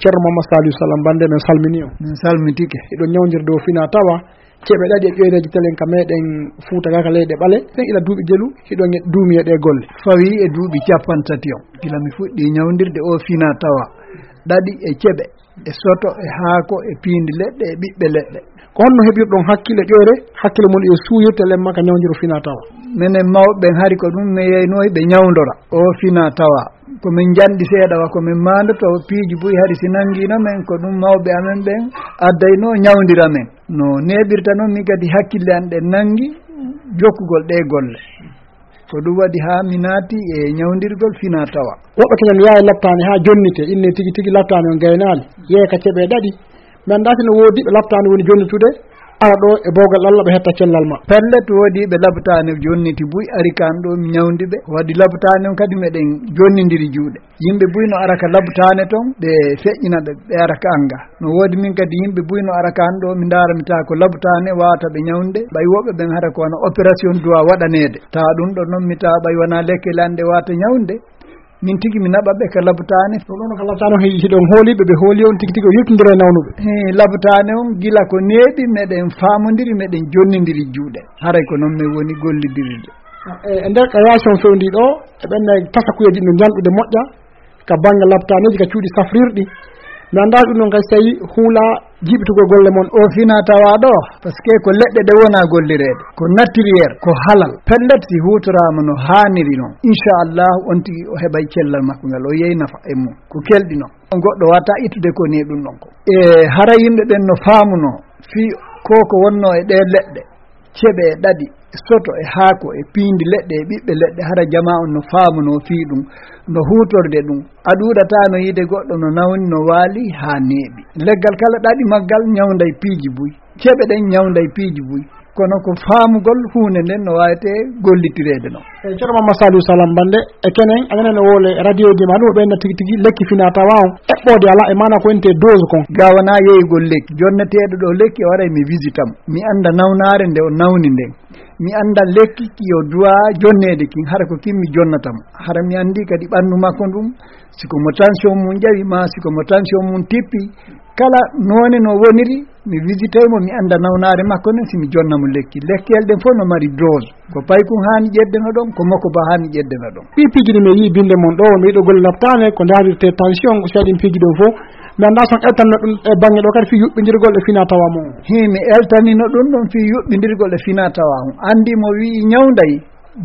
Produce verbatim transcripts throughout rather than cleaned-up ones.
Ceerno Mamma Saliou Salam Bande, min salmini on. Min salmitike. Hiɗon ñawndirde o fina tawa ceeɓe ɗaɗi e ƴoyreeji telen ka meɗen Fuuta ga ka leyɗe ɓale. Ɓen ila duuɓi jelu, hiɗon e duumi e ɗe golle. Fawi e duuɓi cappanɗe tati on. Gila mi fuɗɗi ñawndirde o fina tawa ɗaɗi e ceeɓe, e soto, e haako, e piindi leɗɗe, e ɓiɓɓe leɗɗe. Ko honno heɓirɗon hakkille ƴoyre, hakkille mon e suuyirte lemma ka ñawndiro fina tawa? Menen mawɓe ɓen hari ko ɗum mi yeynooyi ɓe ñawndora o fina tawa. Ko min njanɗi seeɗa wa ko min maandoto piiji buy hari si nanngino men, ko ɗum mawɓe amen ɓen addayno ñawndira men. No neeɓirta non min kadi hakkille an ɗen nanngi jokkugol ɗe golle. Ko ɗum waɗi haa mi naati e ñawndirgol fina tawa. Woɓɓe keñan yaha e laptaani haa jonnite, inne tigi tigi laptaani on gaynaali, yeeya ka ceeɓe ɗaɗi. Mi anndaa si no woodi ɓe laptaani woni jonnitude, ara ɗo e boowgal Alla ɓe hetta cellal ma. Pellet, woodi ɓe laptaani jonniti buy ari kan ɗo mi ñawndi ɓe. Waɗi laptaani on kadi meɗen jonnindiri juuɗe. Yimɓe buy no ara ka laptaane ton, ɓe feƴƴina ɓe, ɓe ara ka an ga. No woodi min kadi yimɓe buy no ara ka an ɗo, mi ndaara mi taa ko laptaane waawata ɓe ñawnde. Ɓay woɓɓe ɓen hara ko wona opération duwa waɗaneede. Taa ɗum ɗo non mi taa ɓay wona lekkele an ɗe waawata ñawnde. Min tigi mi naɓa ɓe ka laptaane. Ɗum ɗon ka laptaane on, hiɗon hooliiɓe, ɓe hooli on tigi tigi o yiltindira e nawnuɓe. Hee, laptaane on gila ko neeɓi, meɗen faamondiri, meɗen jonnindiri juuɗe. Haray ko non min woni gollidirirde. E, e nder ka yaasi on fewndi ɗo, e ɓen tasakuyeeji no ñalɗude moƴƴa ka bannge laptaaneeji, ka cuuɗi safrirɗi. Mi anndaa ɗum ɗon kay si tawi huula jiiɓitugol golle mon. O fina tawa ɗo, parce que ko leɗɗe ɗe wona gollireede, ko naturel, ko halal. Pellet si huutoraama no haaniri non, inchallah, on tigi o heɓay cellal makko ngal, o yeey nafa e mum. Ko kelɗi non. On goɗɗo wata ittude ko ni ɗum ɗon ko. E hara yimɓe ɓen no faamuno fii ko ko wonno e ɗe leɗɗe. Ceɓe e ɗaɗi, soto e haako e piindi leɗɗe e ɓiɓɓe leɗɗe, hara jamaa on no faamuno fii ɗum, no huutorde ɗum. A ɗuuɗataa no yiide goɗɗo no nawni, no waali haa neeɓi. Leggal kala ɗaɗi maggal ñawnday piiji buy. Ceɓe ɗen ñawnday piiji buy. Kono ko faamugol huunde nden no waawetee gollitireede non. E Ceerno Mamma Saliou Salam Bande, e kenen, aɗa nana wole radioji ma ɗum, o ɓeyna tigi tigi lekki fina tawa on. Eɓɓoode alaa, e maana ko wonte dose kon. Ga wonaa yeeyugol lekki. Jonneteeɗo ɗo lekki, o waray mi visita mo. Mi annda nawnaare nde o nawni nden. Mi annda lekki ki o duwa jonneede kin, hara ko kin mi jonnata mo. Hara mi anndi kadi ɓanndu makko ndun, si ko mo tension mum ƴawi, maa si ko mo tension mum tippi, kala noone no woniri, mi visitay mo, mi annda nawnaare makko nden, si mi jonna mo lekki. Lekkeel ɗen fof no mari dose. Ko paykun haani ƴeddeno ɗon, ko moko ba haani ƴeddeno ɗon. Ɗi piiji ɗi mi yii binde mon ɗo, mi yiɗo golle laptaane, ko ndaarirte tension, ko seeɗin piiji ɗo fof. Mi annda son eltanno ɗum e bannge ɗo kadi fii yuɓɓindirgol e fina tawa mon. Hii, mi eltanino ɗum ɗon fii yuɓɓindirgol e fina tawa on. Anndi mo wi'i ñawnday,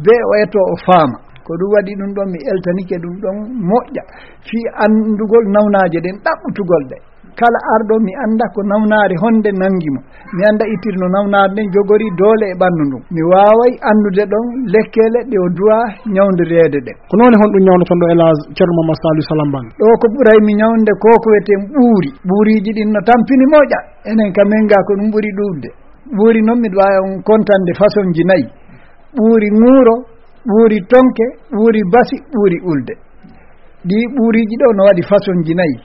be o eto o faama. Ko ɗum waɗi ɗum ɗon, mi eltanike ɗum ɗon moƴƴa fii anndugol nawnaaje ɗen, ɗaɓɓutugol ɗe. Kala arɗo, mi annda ko nawnaare honde nangi mo. Mi annda ittirno nawnaare nden jogori doole e ɓanndu ndun. Mi waaway anndude ɗon lekkeele ɗe o duwa ñawndireede ɗen. Ko noon e honɗum ñawnoton ɗo, El Hadj Ceerno Mamad Saliou Salam Bang? Ɗo ko ɓuray mi ñawnde ko ko wiyeten ɓuuri. Ɓuuriiji ɗin no tampini moƴƴa. Enen ka men ga ko ɗum ɓuri ɗuuɗde. Ɓuuri noon miɗo waawi on kontande façonji nayi. Ɓuuri ŋuuro, ɓuuri tonke, ɓuuri basi, ɓuuri ulde. Ɗii ɓuuriiji ɗo no waɗi façonji nayi.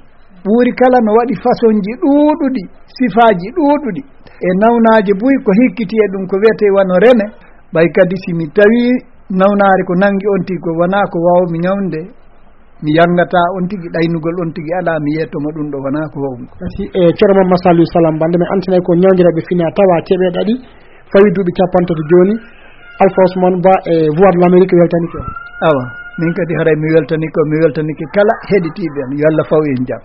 Ɓuuri kala no waɗi façonji ɗuuɗuɗi, sifaaji ɗuuɗuɗi. E nawnaaje buy ko hikkiti e ɗum ko wiyetee wano rene, ɓay kadi si mi tawii nawnaare ko nangi on tigi ko wonaa ko waawmi ñawnde, mi yanngataa on tigi, ɗaynugol on tigi alaa, mi yeetto mo ɗum ɗo wonaa ko waawmi. Kasi, e, Ceerno Mamad Saliou Salam Bang, nde mi antinay ko ñawndiraaɓe fina tawa ceeɓe ɗaɗi, fawi duuɓi cappanɗe tati jooni, Alpha Ousmane Ba e Voix de l'Amérique weltanike on. Awa, min kadi haray mi weltanike on, mi weltanike kala heɗitiiɓe am, yo Allah faw en jam.